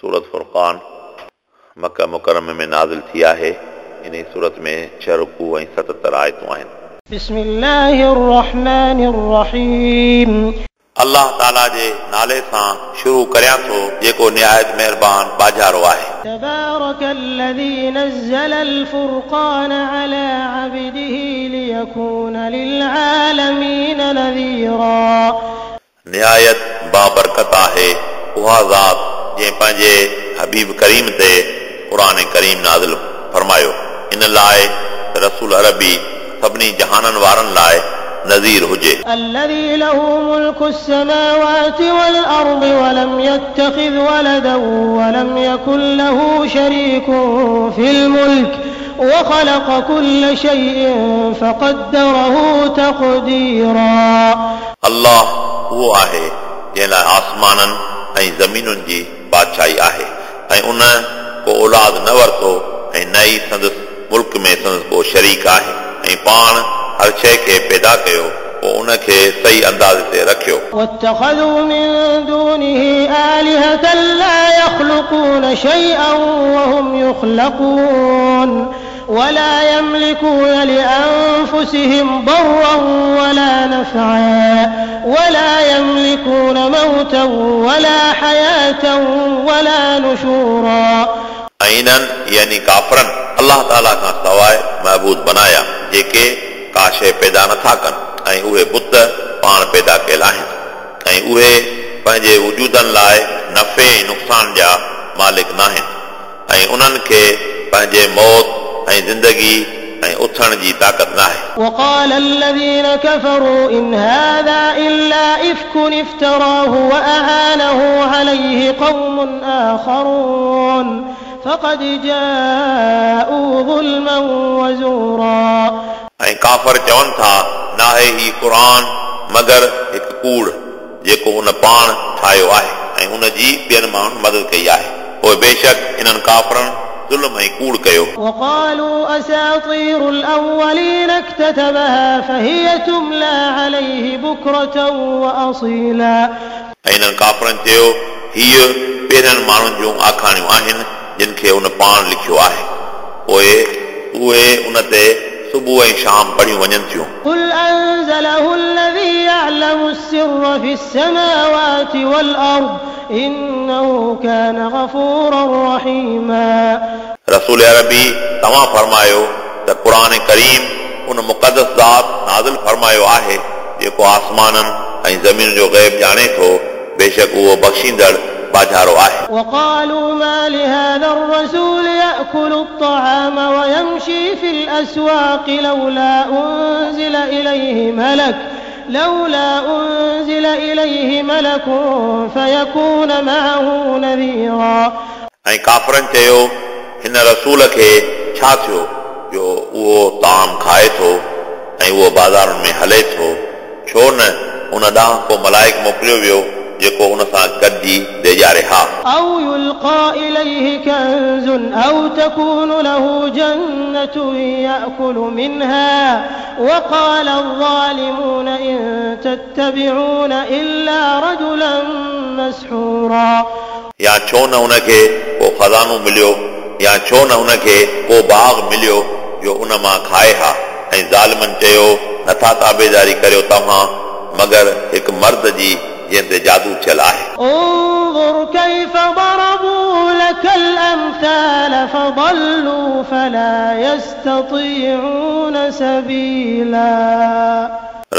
सूरत फुरक़ान मक्का मुकर्रम में नाज़िल थी आहे। इन सूरत में 6 रुकू ऐं 77 आयतूं आहिनि। बिस्मिल्लाहिर रहमानिर रहीम। अल्लाह ताला जे नाले सां शुरू करियां थो जेको निहायत महिरबान बाजारो आहे। तबारकल्लज़ी नज़्ज़लल फुरक़ान अला अब्दिही लियकून लिलआलमीन नज़ीरा। निहायत बाबरकत आहे उहा ज़ात जंहिं पंहिंजे हबीब करीम ते क़ुरान करीम नाज़िल फरमायो, इन लाइ रसूल अरबी सभिनी जहाननि वारनि लाइ नज़ीर हुजे। الذي له ملك السماوات والأرض ولم يتخذ ولدا ولم يكن له شريك في الملك وخلق كل شيء فقدره تقديرا। अल्लाह उहो आहे जंहिं लाइ आसमाननि ऐं ज़मीनुनि जी बादशाही आहे ऐं उन को औलाद न वरितो ऐं न ई संदसि मुल्क में संदसि को शरीक आहे ऐं पाण हर शइ खे पैदा कयो पोइ उन खे सही अंदाज़ ते रखियो। واتخذوا من دونه آلهة لا يخلقون شيئا وهم يخلقون ولا يملكون لأنفسهم ضرا ولا نفعا ولا يملكون موتا ولا حياة ولا نشورا। ऐं इन्हनि यानी काफ़रनि अल्लाह ताला खां सवाइ महबूद बनाया जेके का शइ पैदा नथा कनि ऐं उहे बुत पाण पैदा कयल आहिनि ऐं उहे पंहिंजे वजूदनि लाइ नफ़े ऐं नुक़सान जा मालिक न आहिनि ऐं उन्हनि खे पंहिंजे मौत ऐं ज़िंदगी ऐं उथण जी ताक़त न आहे। وقال الذين كفروا إن هذا إلا إفك افتراه وأعانه عليه قوم آخرون فقد جاءوا ظلما وزورا। ऐं काफ़र चवनि था नाहे ही क़ुर मगर हिकु कूड़ जेको उन पाण ठाहियो आहे ऐं उन जी ॿियनि माण्हुनि मदद कई आहे, पोइ बेशक इन्हनि काफ़रनि ज़ुल्म ऐं कूड़ कयो। وقالوا أساطير الأولين اكتتبها فهي تملى عليه بكرة وأصيلا। ऐं इन्हनि काफ़रनि चयो हीअ पहिरियनि माण्हुनि जूं आखाणियूं आहिनि जिन खे उन पाण लिखियो आहे, पोइ उहे उन ते सुबुह ऐं शाम पढ़ियूं वञनि थियूं। قل أنزله الذي يعلم السر في السماوات والأرض إنه كان غفورا رحيما। रसूल अरबी तव्हां फरमायो त क़ुर करीम उन मुक़दस ज़ात नाज़िल फरमायो आहे जेको आसमाननि ऐं ज़मीन जो ग़ैब ॼाणे थो, बेशक उहो बख़्शींदड़ बाजारो आहे। وقالوا ما لهذا الرسول يأكل الطعام ويمشي في الأسواق لولا أنزل إليه ملك فيكون معه نذيرا। ऐं काफ़रनि चयो हिन रसूल खे छा थियो जो उहो ताम खाए थो ऐं उहो बाज़ारुनि में हले थो, छो न उन ॾांहुं को मलाइक मोकिलियो वियो जेको उन सां गॾिजी ॾेजारे हा। أو يلقى إليه كنز أو تكون له جنة يأكل منها وقال الظالمون إن تتبعون إلا رجلا مسحورا। या छो न उनखे को ख़ज़ानो मिलियो या छो न उनखे को बाग़ मिलियो जो उन मां खाए हा, ऐं ज़ालिमनि चयो नथा ताबेदारी करियो तव्हां मगर हिकु मर्द जी जंहिं ते जादू थियल आहे। انظر كيف ضربوا لك الأمثال فضلوا فلا يستطيعون سبيلا।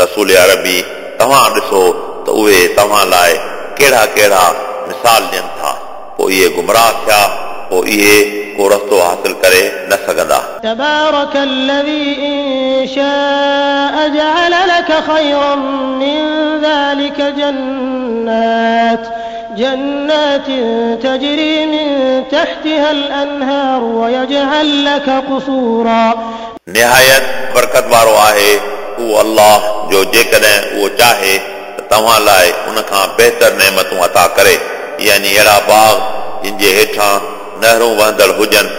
रसूल अरबी तव्हां ॾिसो त उहे तव्हां लाइ कहिड़ा कहिड़ा मिसाल ॾियनि था, पोइ इहे गुमराह थिया, पोइ इहे को रस्तो हासिल करे न सघंदा। تبارك الذي إن شاء جعل لك خيرا من ذلك جنات تجري من تحتها الأنهار ويجعل لك قصورا। निहायत बरकत वारो आहे उहो अल्लाह जो जेकॾहिं उहो चाहे त तव्हां लाइ उन खां बहितर नेमतूं अता करे, यानी अहिड़ा बाग़ जिन जे हेठां नहरूं वहंदड़ हुजनि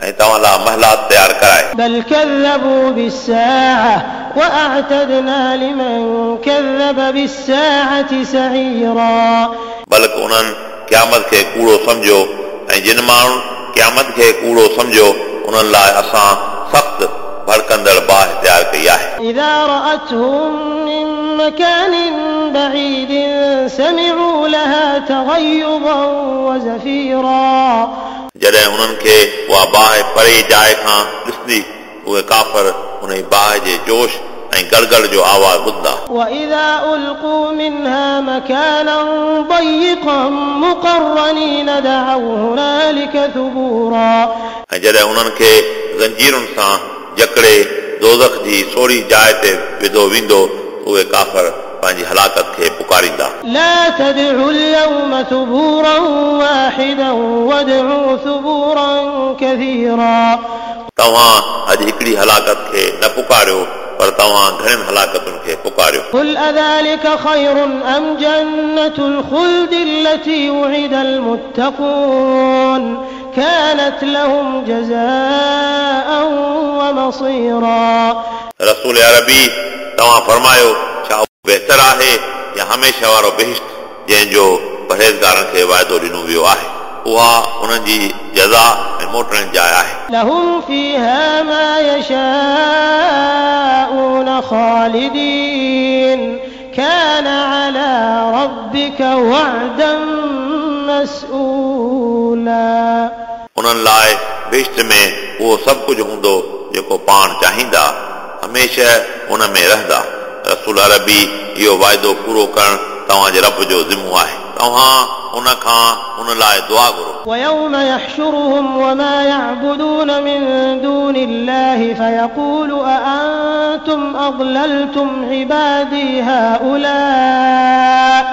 ऐं तव्हां लाइ महलात तयारु कराए। بل كذبوا بالساعة وأعتدنا لمن كذب بالساعة سعيرا। बल्कि उन्हनि क़यामत खे कूड़ो सम्झो ऐं जिन माण्हुनि क़यामत खे कूड़ो सम्झो उन्हनि लाइ असां सख़्तु भड़कंदड़ बाहि तयारु कई आहे। إذا رأتهم من مكان بعيد سمعوا لها تغيظا وزفيرا जॾहिं उन्हनि खे उहा बाहि परे जाइ खां ॾिसंदी उहे काफ़र उन बाहि जे जोश ऐं गड़गड़ जो आवाज़ ॿुधंदा। وإذا ألقوا منها مكانا ضيقا مقرنين دعوا هنالك ثبورا ऐं जॾहिं उन्हनि खे ज़ंजीरुनि सां जकड़े दोज़ख जी सोरी जाइ ते विधो वेंदो उहे काफ़र पंहिंजी हलाकत खे पुकारींदा। لا تدعوا اليوم ثبورا واحدا وادعوا ثبورا كثيرا तव्हां अॼु हिकिड़ी हलाकत खे न पुकारियो पर तव्हां घणनि हलाकतुनि खे पुकारियो। قل أذلك خير أم جنة الخلد التي وعد المتقون كانت لهم جزاء ومصيرا रसूल अरबी तव्हां फरमायो छा बहितर आहे या हमेशह वारो बहिश्त जंहिंजो परहेज़गारनि खे वाइदो ॾिनो वियो आहे उहा उन्हनि जी जज़ा ऐं मोटण जी जाइ आहे। لهم فيها ما يشاءون خالدين كان على ربك وعدا مسؤولا उन्हनि लाइ बहिश्त में उहो सभु कुझु हूंदो जेको पाण चाहींदा हमेशह उन में रहंदा। रसूल अरबी इहो वाइदो पूरो करणु तव्हांजे रब जो ज़िमो आहे। तव्हां उन खां उन लाइ दुआ घुरो। ويوم يحشرهم وما يعبدون من دون الله فيقول أأنتم أضللتم عبادي هؤلاء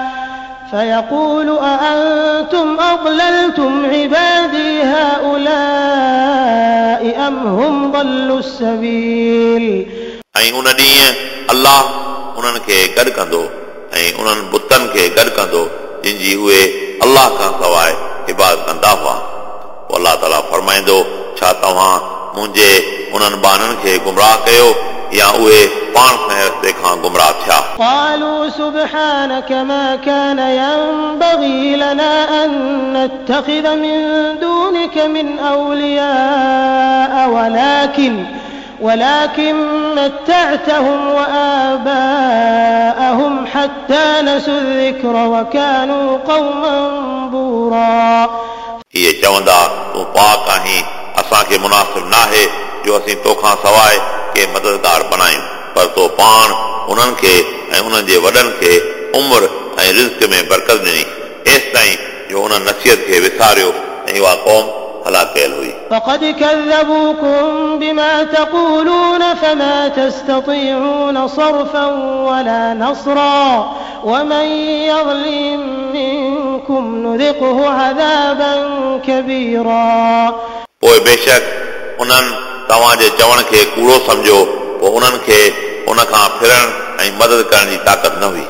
فيقول أأنتم أضللتم عبادي هؤلاء أم هم ضلوا السبيل ऐं उन ॾींहुं अलाह उन्हनि खे गॾु कंदो ऐं उन्हनि बुतनि खे गॾु कंदो जिन जी उहे अलाह खां सवाइ इबादत कंदा हुआ। पोइ अलाह ताला फरमाईंदो छा तव्हां मुंहिंजे उन्हनि ॿारनि खे गुमराह कयो या उहे पाण सां रस्ते खां गुमराह थिया। قالوا سبحانك ما كان ينبغي لنا أن نتخذ من دونك من أولياء ولكن متعتهم وآباءهم حتى نسوا الذكر وكانوا قوما بورا इहे चवंदा तूं पाक आहीं असांखे मुनासिब नाहे जो असीं तोखां सवाइ के मददगार बणायूं पर तो पाण उन्हनि खे ऐं उन्हनि जे वॾनि खे उमिरि ऐं रिज़्क में बरकत ॾिनी एसि ताईं जो उन्हनि नसीहत खे विसारियो ऐं उहा क़ौम हलाक कयल हुई। فقد كذبوكم بما تقولون فما تستطيعون صرفا ولا نصرا ومن يظلم منكم نذقه عذابا كبيرا पोइ बेशक उन्हनि तव्हांजे चवण खे कूड़ो सम्झो पोइ उन्हनि खे उन खां फिरण ऐं मदद करण जी ताक़त न हुई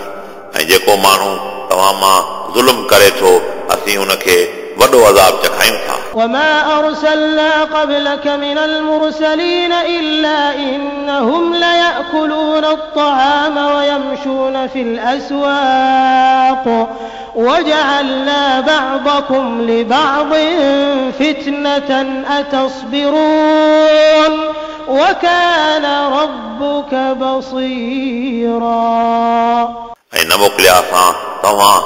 ऐं जेको माण्हू तव्हां मां ज़ुल्म करे थो असीं उनखे वॾो अज़ाब चखायूं था। وما أرسلنا قبلك من المرسلين إلا إنهم ليأكلون الطعام ويمشون في الأسواق وجعلنا بعضكم لبعض فتنة أتصبرون وكان ربك بصيرا ऐं न मोकिलिया असां तव्हां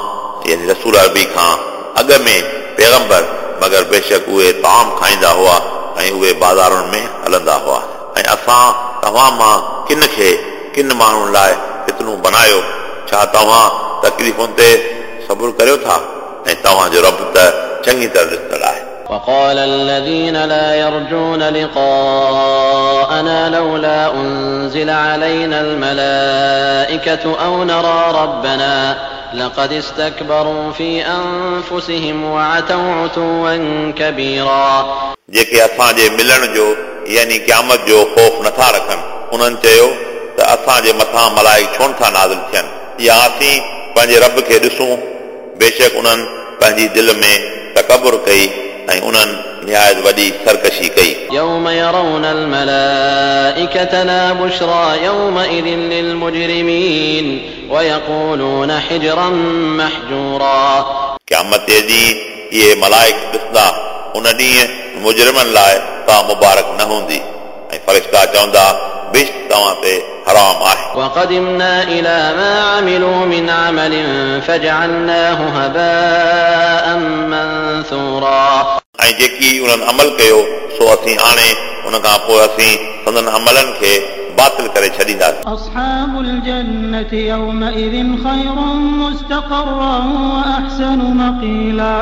यानी रसूल अरबी खां अॻ में पैगंबर मगर बेशक उहे ताम खाईंदा हुआ ऐं उहे बाज़ारुनि में हलंदा हुआ ऐं असां तव्हां मां किन खे किन माण्हुनि लाइ फितनो बनायो छा तव्हां तकलीफ़ुनि ते सब्र करियो था ऐं तव्हांजो रब त चङी तरह ॾिसंदड़ आहे। وقال الذين لا يرجون لقاءنا لولا أنزل علينا الملائكة أو نرى ربنا لقد استكبروا في أنفسهم وعتوا عتوا كبيرا जेके असांजे मिलण जो यानी क़यामत जो ख़ौफ़ नथा रखनि उन्हनि चयो त असांजे मथां मलाइक छो नथा नाज़िल थियनि या असीं पंहिंजे रब खे ॾिसूं। बेशक उन्हनि पंहिंजी दिलि में तकबुर कई ऐं उन्हनि निहायत वॾी सरकशी कई। يوم يرون الملائكة لا بشرى يومئذ للمجرمين ويقولون حجرا محجورا क़यामत जे ॾींहुं इहे मलाइक ॾिसंदा उन ॾींहुं मुजरिमनि लाइ का मुबारक न हूंदी ऐं फ़रिश्ता चवंदा बिश्त तव्हां ते हराम आहे। وقدمنا إلى ما عملوا من عمل فجعلناه هباء منثورا ऐं जेकी उन्हनि अमल कयो सो असीं आणे उन खां पोइ असीं संदन अमलनि खे बातिल करे छॾींदासीं। أصحاب الجنة يومئذ خير مستقرا وأحسن مقيلا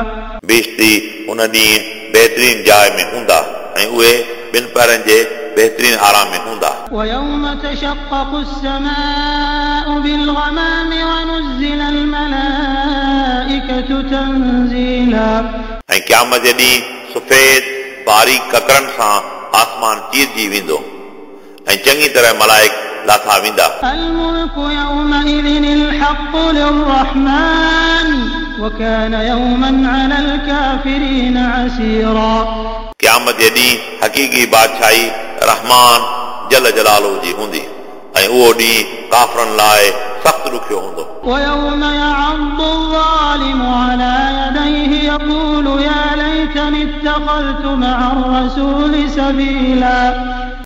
बिश्ती उन ॾींहुं बहितरीन जाइ में हूंदा ऐं उहे ॿिनि पहरनि जे बहितरीन आराम में हूंदा। ويوم تشقق السماء بالغمام ونزل الملائكة تنزيلا ऐं क़यामत जे ॾींहुं सफ़ेद बारीक ककरनि सां आसमान चीरजी वेंदो ऐं चङी तरह मलाइक लाथा वेंदा। الملك يومئذ الحق للرحمن وكان يوما على الكافرين عسيرا क़यामत जे ॾींहुं हक़ीक़ी बादशाही रहमान जल जलालो जी हूंदी ऐं उहो ॾींहुं काफ़रनि लाइ सख़्तु ॾुखियो हूंदो। ويوم يعض الظالم على يديه يقول يا ليتني اتخذت مع الرسول سبيلا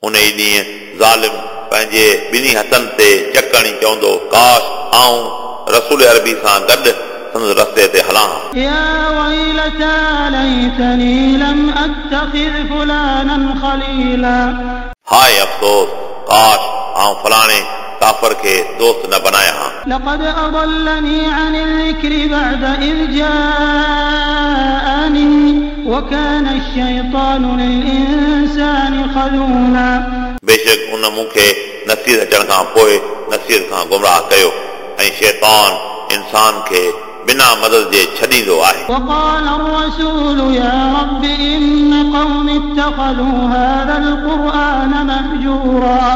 उन ई ॾींहुं ज़ालिम पंहिंजे ॿिन्ही हथनि ते चकणी चवंदो काश आऊं रसूल अरबी सां गॾु संदसि रस्ते ते हलां। يا ويلتى ليتني لم أتخذ فلانا خليلا हाय अफ़सोस काश आऊं फलाणे काफ़र खे दोस्त न बनायां हा। لقد أضلني عن الذكر بعد إذ جاءني وكان الشيطان للإنسان خذولا बेशक उन मूंखे नसीहत अचण खां पोइ नसीहत खां गुमराह कयो ऐं शैतान इंसान खे बिना मदद जे छॾींदो आहे। وقال الرسول يا رب إن قومي اتخذوا هذا القرآن مهجورا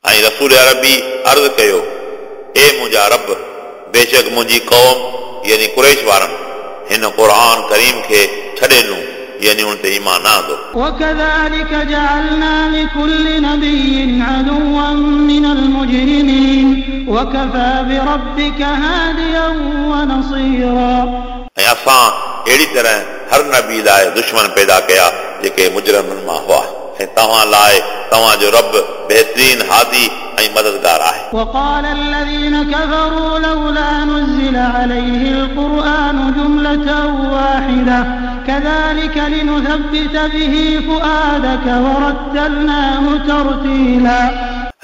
ऐं रसूल अरबी अर्ज़ कयो ए मुंहिंजा रब बेशक मुंहिंजी क़ौम यानी कुरैश वारनि हिन क़ुर करीम खे छॾे ॾिनो यानी उन ते ईमान न आंदो। وكذلك جعلنا لكل نبي عدوا من المجرمين وكفى بربك هاديا ونصيرا ऐं असां अहिड़ी तरह हर नबी लाइ दुश्मन पैदा कया जेके मुजरिमनि मां हुआ ऐं तव्हां लाइ तव्हांजो रब बहितरीन हादी ऐं मददगार आहे। وقال الذين كفروا لولا نزل عليه القرآن جملة واحدة كذلك لنثبت به فؤادك ورتلناه ترتيلا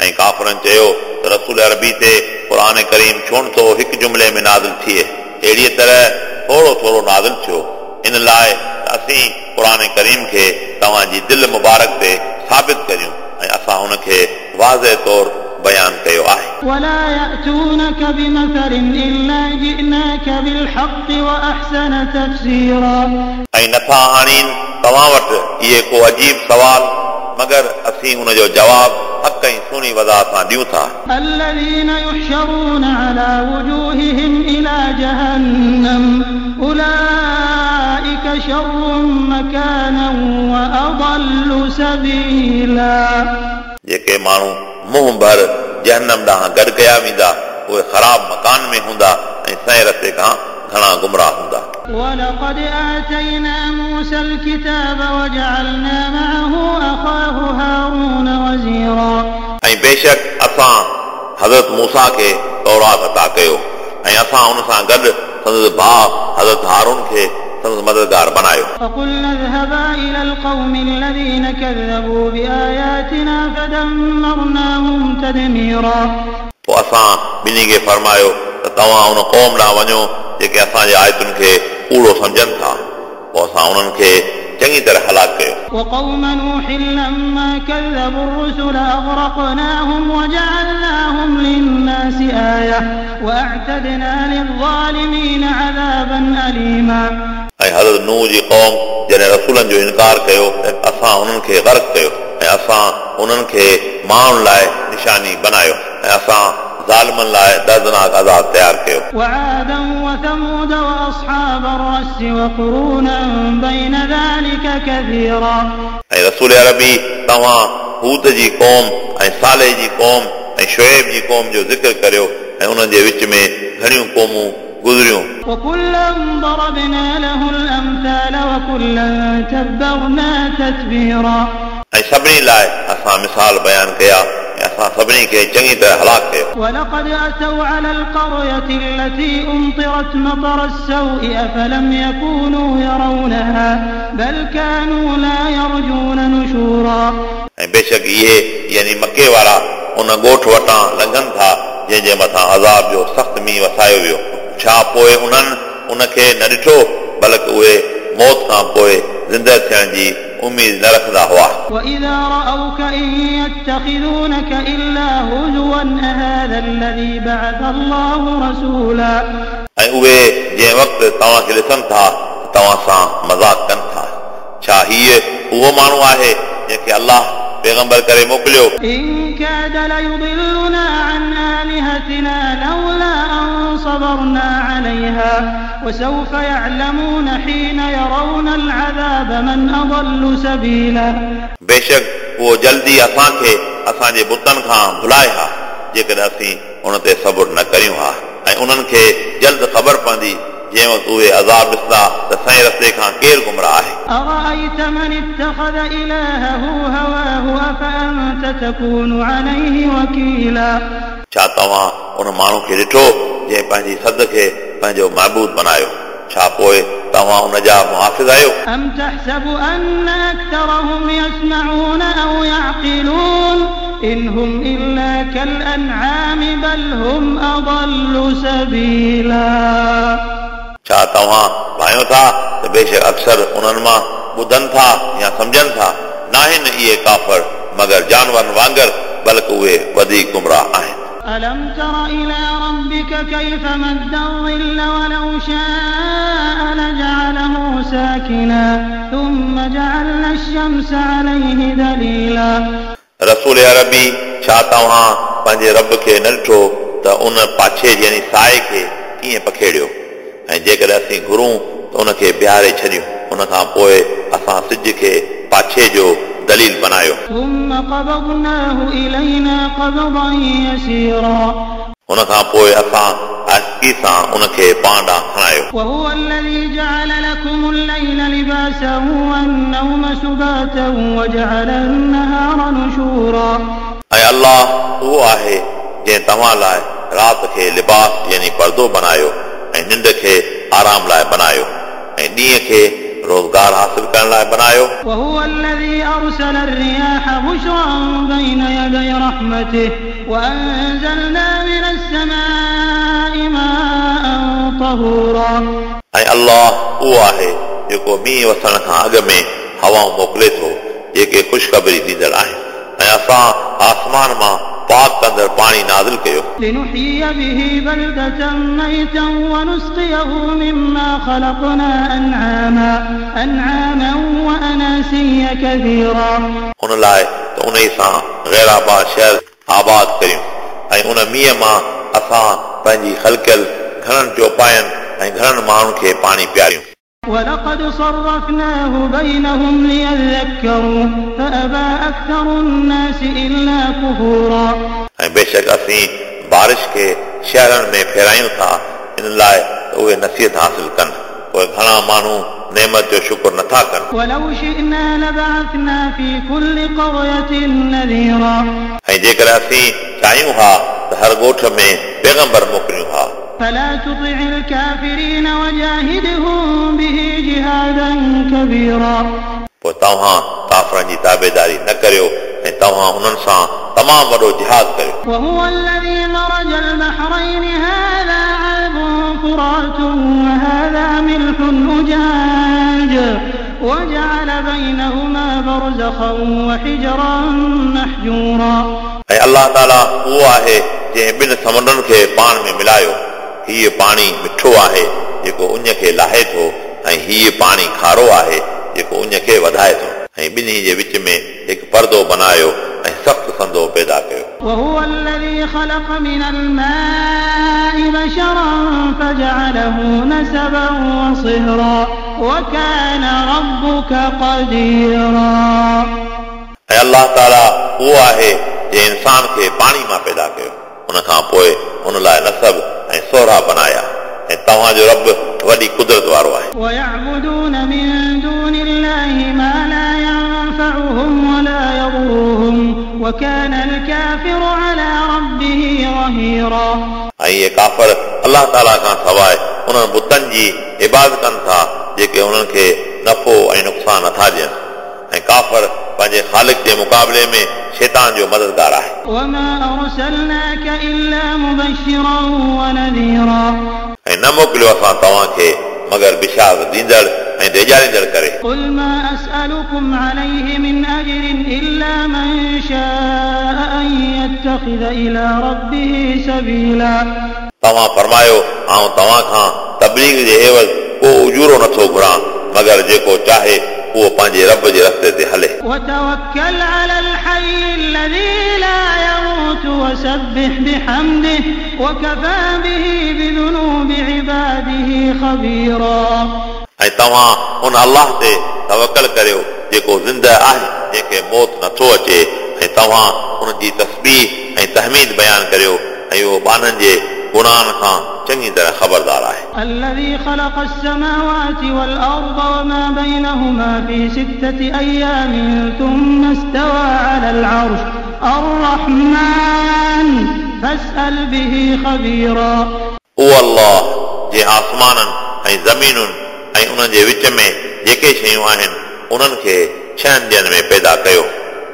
ऐं काफ़रनि चयो त रसूल अरबी ते क़ुर करीम छो नथो हिकु जुमले में नाज़िल थिए, अहिड़ीअ तरह थोरो थोरो नाज़िल थियो, इन लाइ त असीं क़ुर करीम खे तव्हांजी दिलि मुबारक ते साबित करियूं ऐं असां उनखे वाज़े तौर बयान कयो आहे। ولا يأتونك بمثل إلا جئناك بالحق وأحسن تفسيرا ऐं नथा आणीनि तव्हां वटि इहे को अजीब सवाल मगर असीं उनजो जवाब हक़ ऐं सुहिणी वज़ाहत सां ॾियूं था। الذين يحشرون على وجوههم إلى جهنم أولئك شر مكانا وأضل سبيلا जेके माण्हू मुंहुं भर जहन्नम ॾांहुं गॾु कया वेंदा उहे ख़राब मकान में हूंदा ऐं सही रस्ते खां घणा गुमराह हूंदा। ولقد آتينا موسى الكتاب وجعلنا معه أخاه هارون وزيرا ऐं बेशक असां हज़रत मूसा खे तौरात अता कयो ऐं असां उन सां गॾु संदसि भाउ हज़रत हारून खे संदसि मददगार बनायो। فقلنا اذهبا إلى القوم الذين كذبوا بآياتنا فدمرناهم تدميرا पोइ असां ॿिन्ही खे फरमायो त तव्हां उन क़ौम ॾांहुं वञो जेके असांजे आयतुनि खे कूड़ो सम्झनि था, पोइ असां उन्हनि खे चङी तरह हलाक कयो। وقوم نوح لما كذبوا الرسل أغرقناهم وجعلناهم للناس آية وأعتدنا للظالمين عذابا أليما ऐं हज़रत नूह जी क़ौम जॾहिं रसूलनि जो इनकार कयो असां उन्हनि खे गर्क कयो ऐं असां उन्हनि खे माण्हुनि लाइ निशानी बनायो ऐं असां ज़ालिमनि लाइ दर्दनाक अज़ाब तयारु कयो। وعادا وثمود وأصحاب الرس وقرونا بين ذلك كثيرا ऐं रसूल अरबी तव्हां हूद जी क़ौम ऐं साले जी क़ौम ऐं शुएब जी क़ौम जो ज़िक्र करियो ऐं उन्हनि जे विच में घणियूं क़ौमूं गुज़रियूं। وكلا ضربنا له الأمثال وكلا تبرنا تتبيرا. ऐं सभिनी लाइ असां मिसाल बयानु कया ऐं असां सभिनी खे चङी तरह हलाक कयो। ولقد أتوا على القرية التي أمطرت مطر السوء أفلم يكونوا يرونها بل كانوا لا يرجون نشورا. ऐं बेशक इहे यानी मके वारा उन ॻोठ वटां लंघनि था जंहिंजे मथां अज़ाब जो सख़्तु मींहुं वसायो वियो। छा पोइ उन्हनि उनखे न ॾिठो, बल्कि उहे मौत खां पोइ ज़िंदा थियण जी उमेद न रखंदा हुआ। وإذا رأوك إن يتخذونك إلا هزوا أهذا الذي بعث الله رسولا. ऐं उहे जंहिं वक़्तु तव्हांखे ॾिसनि था तव्हां सां मज़ाक कनि था। छा हीउ उहो माण्हू आहे जंहिंखे अलाह पैगंबर करे मोकिलियो? إن كاد ليضلنا عن آلهتنا لولا أن صبرنا عليها وسوف يعلمون حين يرون العذاب من أضل سبيلا. बेशक उहो जल्दी असांखे असांजे बुतनि खां भुलाए हा जेकॾहिं असीं उन ते सबुरु न करियूं हा। ऐं उन्हनि खे जल्द ख़बर पवंदी जंहिं वक़्तु उहे अज़ाब ॾिसंदा त सही रस्ते खां केरु गुमराह आहे। أرأيت من اتخذ إلهه هواه أفأنت تكون عليه وكيلا. छा तव्हां उन माण्हू खे ॾिठो जंहिं पंहिंजी सद खे पंहिंजो महबूद बनायो? छा पोइ तव्हां उन जा मुहाफ़िज़ आहियो? أم تحسب أن أكثرهم يسمعون أو يعقلون إن هم إلا كالأنعام بل هم أضل سبيلا. छा तव्हां भायो था त बेशक अक्सर उन्हनि मां ॿुधनि था या सम्झनि था? नाहिनि इहे काफ़र मगर जानवरनि वांगुरु, बल्कि उहे वधीक गुमराह आहिनि। ألم تر إلى ربك كيف مد الظل ولو شاء لجعله ساكنا ثم جعلنا الشمس عليه دليلا. रसूल अरबी, छा तव्हां पंहिंजे रब खे न ॾिठो त उन पाछे यानी साए खे कीअं पखेड़ियो? ऐं जेकॾहिं असीं घुरूं त उनखे बिहारे छॾियूं, उन खां पोइ असां सिज खे पाछे जो दलील बनायो। ثم قبضناه إلينا قبضا يسيرا. उन खां पोइ असां आहिस्तगी सां उनखे पाण ॾांहुं खणायो। وهو الذي جعل لكم الليل لباسا والنوم سباتا وجعل النهار نشورا. ऐं अलाह उहो आहे जंहिं तव्हां लाइ राति खे लिबास यानी पर्दो बनायो ऐं निंड खे आराम लाइ बनायो ऐं ॾींहं खे रोज़गार हासिल करण लाइ बनायो। وهو الذي أرسل الرياح بشرا بين يدي رحمته وأنزلنا من السماء ماء طهورا. ऐं अलाह उहो आहे जेको मींहुं वसण खां अॻु में हवाऊं मोकिले थो जेके ख़ुशख़बरी ॾींदड़ आहिनि, ऐं असां आसमान मां पाक कंदड़ पाणी नाज़िल कयो। لنحيي به بلدة ميتا ونسقيه مما خلقنا أنعاما وأناسيا كثيرا. उन लाइ त उन सां ग़ैर आबाद शहर आबाद करियूं ऐं उन मींहुं मां असां पंहिंजी ख़लकियल घणनि चौपायनि ऐं घणनि माण्हुनि खे पाणी पीआरियूं। ولقد صرفناه بينهم ليذكروا فأبى أكثر الناس إلا كفورا. ऐं बेशक असीं बारिश खे शहरनि में फेरायूं था इन लाइ त उहे नसीहत हासिल कनि, पोइ घणा माण्हू नेमत जो शुक्र नथा कनि। ولو شئنا لبعثنا في كل قرية نذيرا. ऐं जेकॾहिं असीं चाहियूं हा त हर ॻोठ में पैगंबर मोकिलियूं हा। فلا تطع الكافرين وجاهدهم به جهادا كبيرا. पोइ तव्हां काफ़रनि जी ताबेदारी न करियो ऐं तव्हां उन्हनि सां तमामु वॾो जिहाद करियो। وهو الذي مرج البحرين هذا عذب فرات وهذا ملح أجاج وجعل بينهما برزخا وحجرا محجورا. ऐं अलाह ताला उहो आहे जंहिं ॿिनि समुंडनि खे पाण में मिलायो। हीउ पाणी मिठो आहे जेको उञ खे लाहे थो ऐं हीउ पाणी खारो आहे जेको उञ खे वधाए थो, ऐं ॿिन्ही जे विच में हिकु पर्दो बनायो ऐं सख़्तु संदो पैदा कयो। وهو الذي خلق من الماء بشرا فجعله نسبا وصهرا وكان ربك قديرا. ऐं अलाह ताला उहो आहे जंहिं इंसान खे पाणी मां पैदा कयो, उन खां पोइ उन लाइ नसब ऐं सोहरा बनाया, ऐं तव्हांजो रब वॾी कुदरत वारो आहे। ويعبدون من دون الله ما لا ينفعهم ولا يضرهم وكان الكافر على ربه ظهيرا। ऐं इहे काफ़र अलाह ताला खां सवाइ उन्हनि बुतनि जी इबादत कनि था जेके उन्हनि खे नफ़ो ऐं नुक़सानु नथा ॾियनि ऐं काफ़र पंहिंजे ख़ालिक जे मुक़ाबले में शैतान जो मददगार आहे। وما أرسلناك إلا مبشرا ونذيرا। ऐं न मोकिलियो असां तव्हांखे मगर बिशारत ॾींदड़ ऐं डेॼारींदड़ करे। قل ما أسألكم عليه من أجر إلا من شاء أن يتخذ إلى ربه سبيلا। तव्हां फरमायो आउं तव्हां खां तबलीग जे एवज़ को उजूरो नथो घुरां मगर जेको चाहे उहो पंहिंजे रब जे रस्ते ते हले। وتوكل على الحي الذي لا يموت وسبح بحمده وكفى به بذنوب عباده خبيرا। ऐं तव्हां उन अलाह ते तवकल करियो जेको ज़िंदा आहे जंहिंखे मौत नथो अचे ऐं तव्हां उन जी तस्बीह ऐं तहमीद बयानु करियो ऐं उहो ॿान्हनि जे गुनाहनि खां चङी तरह ख़बरदार आहे। الذي خلق السماوات والأرض وما بينهما في 6 أيام ثم استوى على العرش الرحمن فاسأل به خبيرا। उहो अलाह जंहिं आसमाननि ऐं ज़मीनुनि ऐं उन्हनि जे विच में जेके शयूं आहिनि उन्हनि खे 6 ॾींहंनि में पैदा कयो।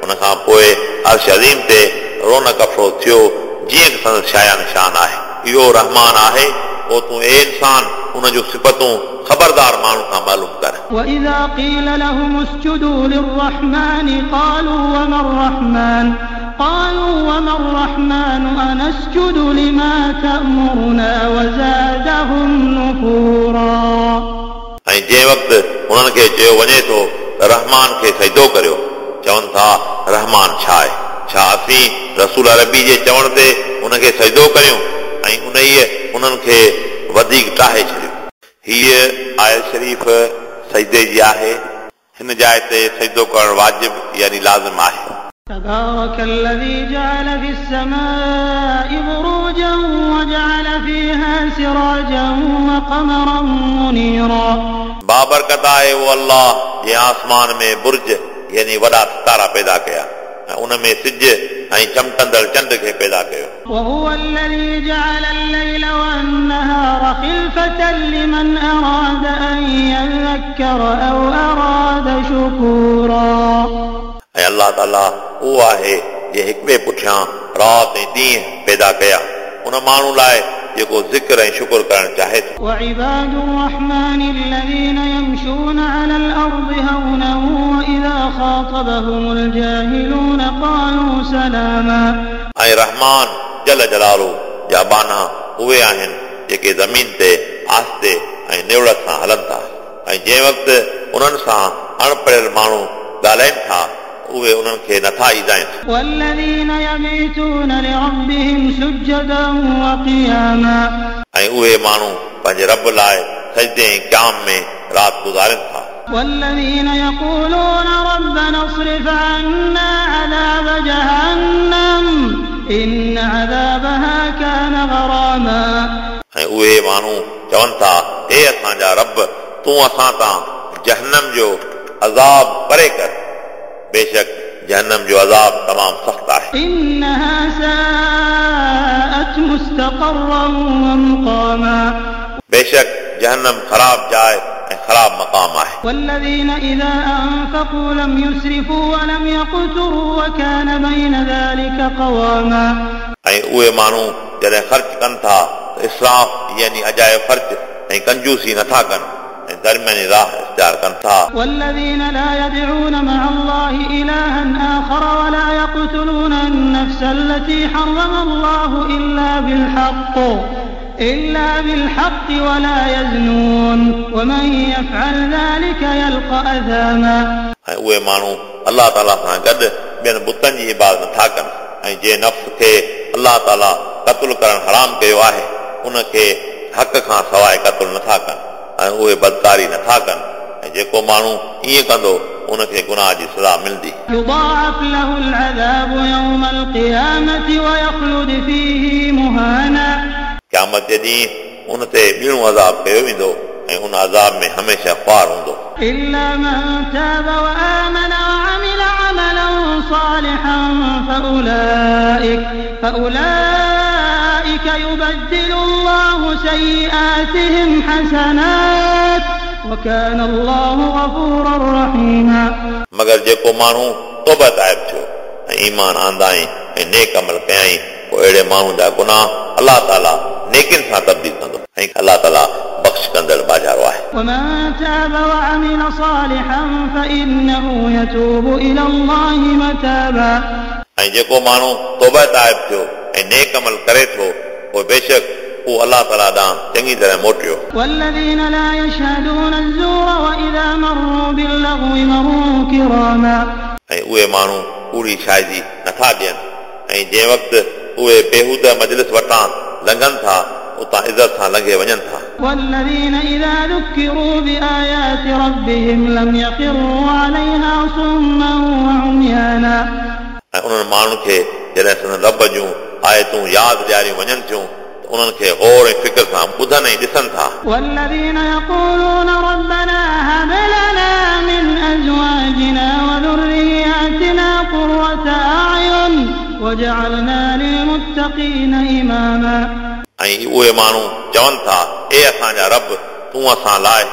उन खां पोइ अर्श अज़ीम ते रौनक अफ़रोज़ थियो जीअं संदसि शाया निशान आहे। इहो रहमान आहे, पोइ तूं ए इंसान उन जूं सिफ़तूं ख़बरदार माण्हू खां मालूम कर। وإذا قيل لهم اسجدوا للرحمن قالوا وما الرحمن قالوا وما الرحمن أنسجد لما تأمرنا وزادهم نفورا। ऐं जंहिं वक़्तु उन्हनि खे चयो वञे थो त रहमान खे सजदो करियो, चवनि था रहमान छा आहे? छा असीं रसूल अरबी जे चवण ते उनखे सजदो करियूं? ऐं उन ई उन्हनि खे वधीक टाहे छॾियो। हीअ आयत शरीफ़ सजदे जी आहे। हिन जाइ ते सजदो करणु वाजिब यानी लाज़िम आहे। تبارك الذي جعل في السماء بروجا وجعل فيها سراجا وقمرا منيرا। बाबरकत आहे उहो अलाह जंहिं आसमान में बुर्ज यानी वॾा सितारा पैदा कया ऐं उन में सिज ऐं चमकंदड़ चंड खे पैदा कयो। وهو الذي جعل الليل والنهار خلفة لمن أراد أن يذكر أو أراد شكورا। ऐं अलाह ताला उहो आहे जंहिं हिक ॿिए पुठियां राति ऐं ॾींहुं पैदा कया उन माण्हू लाइ जेको ज़िक्र ऐं शुक्र करणु चाहे थो। وعباد الرحمن الذين يمشون على الأرض هونا وإذا خاطبهم الجاهلون قالوا سلاما। ऐं रहमान जल जलालू जा बाना उहे आहिनि जेके ज़मीन ते आस्ते ऐं निवड़त सां हलनि था ऐं जंहिं वक़्तु उन्हनि सां अणपढ़ियल माण्हू ॻाल्हाइनि था उहे उन्हनि खे नथा ईदाइनि। والذين يبيتون لربهم سجدا وقياما। ऐं उहे माण्हू पंहिंजे रब लाइ सजदे ऐं क़याम में राति गुज़ारनि था। والذين يقولون ربنا اصرف عنا عذاب جهنم إن عذابها كان غراما। ऐं उहे माण्हू चवनि था हे असांजा रब तूं असां तां जहन्नम जो अज़ाब परे कर, बेशक जहन्नम जो अज़ाब तमामु सख़्तु आहे। إنها ساءت مستقرا ومقاما। बेशक जहन्नम ख़राब जाइ ऐं ख़राब मक़ाम आहे। والذين إذا أنفقوا لم يسرفوا ولم يقتروا وكان بين ذلك قواما। ऐं उहे माण्हू जॾहिं ख़र्च कनि था त इसराफ़ यानी अजायो ख़र्च ऐं कंजूसी नथा कनि ऐं दरमियानी राह इख़्तियार कनि था। والذين لا يدعون مع الله إلها آخر ولا يقتلون النفس التي حرم الله إلا بالحق ولا يزنون ومن يفعل ذلك يلقى أثاما। ऐं उहे माण्हू अलाह ताला सां गॾु ॿियनि बुतनि जी इबादत नथा कनि ऐं जंहिं नफ़्स खे अलाह ताला क़तलु करणु हराम कयो आहे उनखे हक़ खां सवाइ क़तलु नथा कनि ऐं उहे बदकारी नथा कनि ऐं जेको माण्हू ईअं कंदो उनखे गुनाह जी सज़ा मिलंदी। يضاعف له العذاب يوم القيامة ويخلد فيه مهانا। क़यामत जे ॾींहुं उन ते ॿीणो अज़ाब कयो वेंदो ऐं उन अज़ाब में हमेशह ख़्वार हूंदो। إلا من تاب وآمن وعمل عملا صالحا فأولئك يبدل الله سيئاتهم حسنات وكان الله غفورا رحيما। मगर जेको माण्हू तौबा ताइब थियो ऐं ईमान आंदाई ऐं नेक अमल कयाई पोइ अहिड़े माण्हू जा गुनाह अलाह ताला नेकियुनि सां तब्दील कंदो ऐं अलाह ताला बख़्श कंदड़ बाजारो आहे। ومن تاب وعمل صالحا فإنه يتوب إلى الله متابا। ऐं जेको माण्हू तौबा ताइब थियो ऐं नेक अमल करे थो पोइ बेशक उहो अलाह ताला ॾांहुं चङी तरह मोटियो। والذين لا يشهدون الزور وإذا مروا باللغو مروا كراما। ऐं उहे माण्हू कूड़ी शाहिदी नथा ॾियनि ऐं जंहिं वक़्तु उहे बेहूदा मजलिस वटां लंघनि था उतां इज़त सां लंघे वञनि था। والذين إذا ذكروا بآيات ربهم لم يخروا عليها صما وعميانا। ऐं उन्हनि माण्हुनि खे जॾहिं संदन रब जूं आयतूं यादि ॾियारियूं वञनि थियूं त उन्हनि खे गौर ऐं फ़िक्र सां ॿुधनि ऐं ॾिसनि था। والذين يقولون ربنا هب لنا من أزواجنا وذرياتنا قرة أعين واجعلنا للمتقين إماما। ऐं उहे माण्हू चवनि था, ए असांजा रब, तूं असां लाइ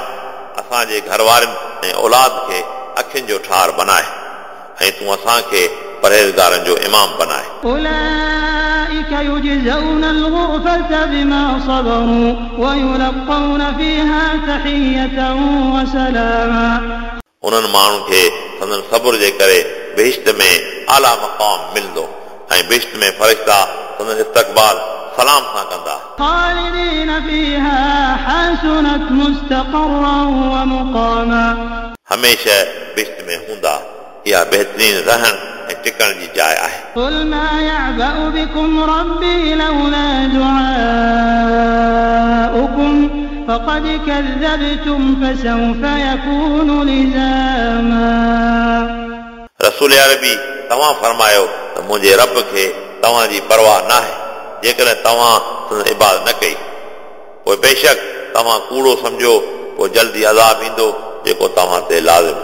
असांजे घर वारनि ऐं औलाद खे अखियुनि जो ठार बनाए ऐं तूं असांखे परहेज़गारनि जो इमाम बनाए। أولئك يجزون الغرفة بما صبروا ويلقون فيها تحية وسلاما। उन्हनि माण्हुनि खे संदन सब्र जे करे बहिश्त में आला मक़ाम मिलंदो ऐं बहिश्त में फ़रिश्ता संदन इस्तक़बाल सलाम सां कंदा। خالدين فيها حسنت مستقرا ومقاما। हमेशह बहिश्त में हूंदा, इहा बहितरीन रहण ऐं टिकण जी जाइ आहे। قل ما يعبأ بكم ربي لولا دعاؤكم فقد كذبتم فسوف يكون لزاما। रसूल अरबी तव्हां फरमायो त मुंहिंजे रब खे तव्हांजी परवाह न आहे जेकॾहिं तव्हां संदसि इबादत न कई, पोइ बेशक तव्हां कूड़ो सम्झो, पोइ जल्दी अज़ाब ईंदो जेको तव्हां ते लाज़िम